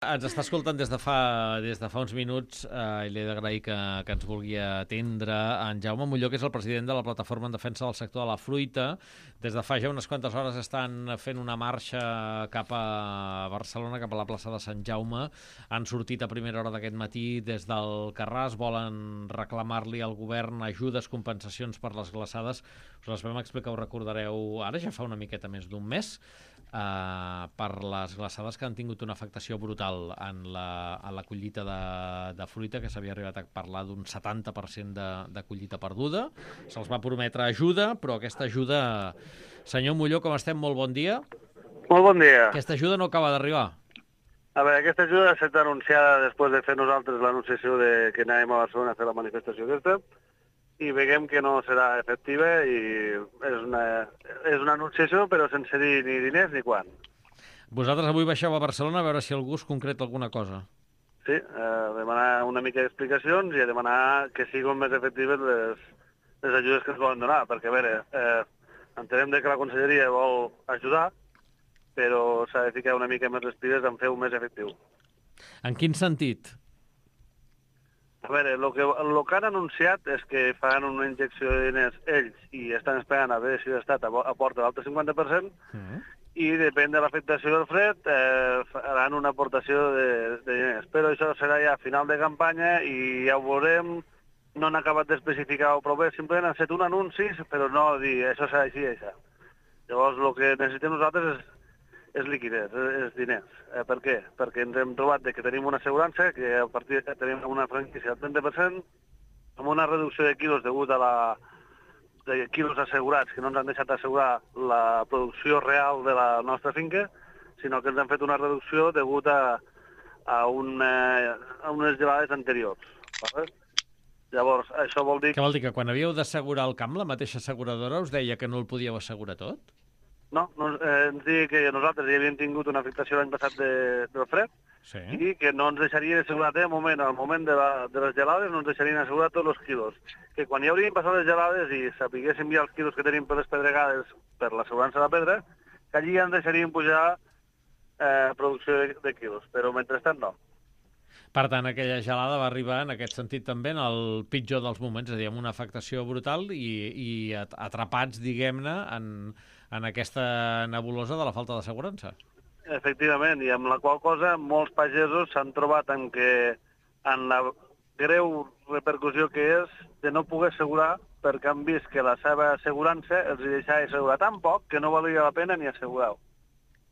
Ens està escoltant des de fa uns minuts i li he d'agrair que ens vulgui atendre en Jaume Molló, que és el president de la Plataforma en Defensa del Sector de la Fruita. Des de fa ja unes quantes hores estan fent una marxa cap a Barcelona, cap a la plaça de Sant Jaume. Han sortit a primera hora d'aquest matí des del Carràs, volen reclamar-li al govern ajudes, compensacions per les glaçades. Us les vam explicar, ho recordareu, ara ja fa una miqueta més d'un mes, per les glaçades que han tingut una afectació brutal en la collita de fruita, que s'havia arribat a parlar d'un 70% de collita perduda. Se'ls va prometre ajuda, però aquesta ajuda... Senyor Molló, com estem? Molt bon dia. Molt bon dia. Aquesta ajuda no acaba d'arribar. A veure, aquesta ajuda ha estat anunciada després de fer nosaltres l'anunciació de que anàvem a Barcelona a fer la manifestació aquesta, i veiem que no serà efectiva i és una anunciació però sense dir ni diners ni quan. Vosaltres avui baixeu a Barcelona a veure si algú us concreta alguna cosa. Sí, a demanar una mica d'explicacions i a demanar que siguin més efectives les ajudes que ens volen donar, perquè a veure, entenem que la conselleria vol ajudar, però s'ha de ficar una mica més les piles en fer-ho més efectiu. En quin sentit? A veure, el que han anunciat és que faran una injecció de diners ells i estan esperant a veure si l'Estat aporta l'altre 50%, i depèn de l'afectació del fred faran una aportació de diners. Però això serà ja a final de campanya i ja ho veurem. No han acabat d'especificar prou bé, simplement han fet un anunci, però no dir això serà així i això. Llavors el que necessitem nosaltres és liquiditat, és diners. Per què? Perquè ens hem trobat que tenim una assegurança, que a partir de tenim una franquícia del 30%, amb una reducció de quilos degut a de quilos assegurats, que no ens han deixat assegurar la producció real de la nostra finca, sinó que ens han fet una reducció degut a unes gelades anteriors. Vale? Llavors, això vol dir... Què vol dir, que quan havíeu d'assegurar el camp, la mateixa asseguradora us deia que no el podíeu assegurar tot? No, ens deia que nosaltres ja havíem tingut una afectació l'any passat del fred, sí, i que no ens deixarien assegurar al moment de les gelades, no ens deixarien assegurar tots els quilos. Que quan ja haurien passat les gelades i sapiguéssim ja els quilos que tenim per les pedregades per l'assegurança de la pedra, que allí ja ens deixarien pujar producció de quilos, però mentrestant no. Per tant, aquella gelada va arribar en aquest sentit també en el pitjor dels moments, és a dir, amb una afectació brutal i atrapats, diguem-ne, en aquesta nebulosa de la falta d'assegurança. Efectivament, i amb la qual cosa molts pagesos s'han trobat en la greu repercussió que és de no poder assegurar perquè han vist que la seva assegurança els deixava assegurar tan poc que no valia la pena ni assegurar-ho,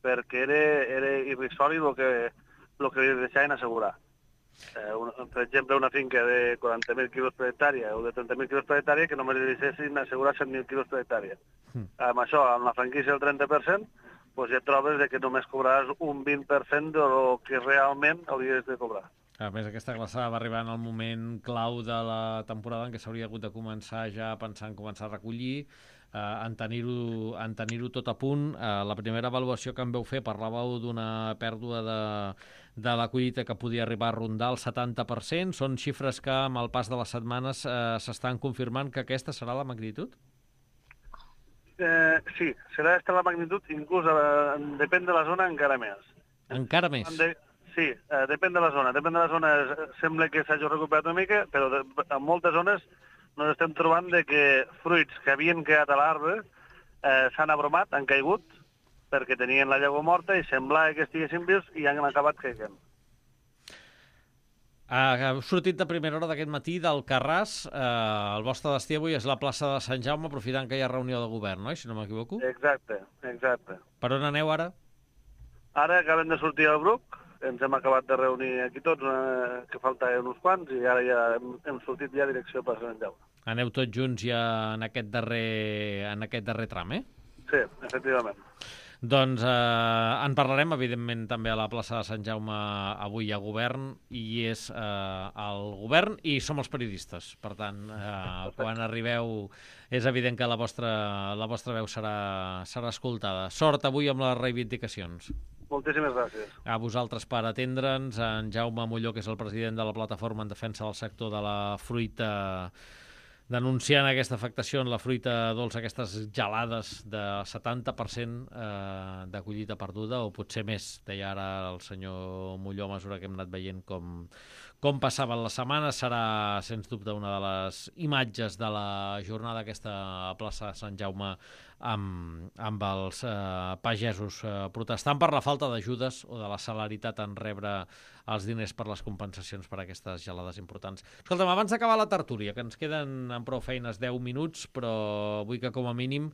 perquè era irrisori el que li deixaven assegurar. Per exemple, una finca de 40.000 quilos per hectàrea o de 30.000 quilos per hectàrea que només li deixessin assegurar 100.000 quilos per hectàrea. Amb això, amb la franquícia del 30%, doncs ja et trobes que només cobraràs un 20% del que realment hauries de cobrar. A més, aquesta glaçada va arribar en el moment clau de la temporada en què s'hauria hagut de començar ja a pensar en començar a recollir, en tenir-ho tot a punt. La primera avaluació que em vau fer parlàveu d'una pèrdua de la collita que podia arribar a rondar el 70%. Són xifres que amb el pas de les setmanes s'estan confirmant que aquesta serà la magnitud? Sí, serà aquesta la magnitud, inclús depèn de la zona encara més. Encara més? Sí, depèn de la zona. Depèn de la zona, sembla que s'hagi recuperat una mica, però en moltes zones ens estem trobant que fruits que havien quedat a l'arbre s'han abromat, han caigut, perquè tenien la llavor morta i semblava que estiguessin vius i han acabat caigant. Heu sortit de primera hora d'aquest matí del Carràs. El vostre destí avui és la plaça de Sant Jaume, aprofitant que hi ha reunió de govern, no? Si no m'equivoco. Exacte. Per on aneu ara? Ara acabem de sortir al Bruc, ens hem acabat de reunir aquí tots, que faltaven uns quants, i ara ja hem sortit ja a direcció per Sant Jaume. Aneu tots junts ja en aquest darrer tram, eh? Sí, efectivament. Doncs en parlarem, evidentment, també a la plaça de Sant Jaume avui a govern, i és el govern i som els periodistes. Per tant, quan arribeu és evident que la vostra veu serà escoltada. Sort avui amb les reivindicacions. Moltíssimes gràcies. A vosaltres per atendre'ns, en Jaume Molló, que és el president de la Plataforma en Defensa del Sector de la Fruita denunciant aquesta afectació en la fruita dolça, aquestes gelades de 70% de collita perduda, o potser més, deia ara el senyor Molló, a mesura que hem anat veient com passaven les setmanes. Serà, sens dubte, una de les imatges de la jornada aquesta a plaça Sant Jaume amb els pagesos protestant per la falta d'ajudes o de la celeritat en rebre els diners per les compensacions per aquestes gelades importants. Escolta'm, abans d'acabar la tertúlia, que ens queden amb prou feines 10 minuts, però vull que com a mínim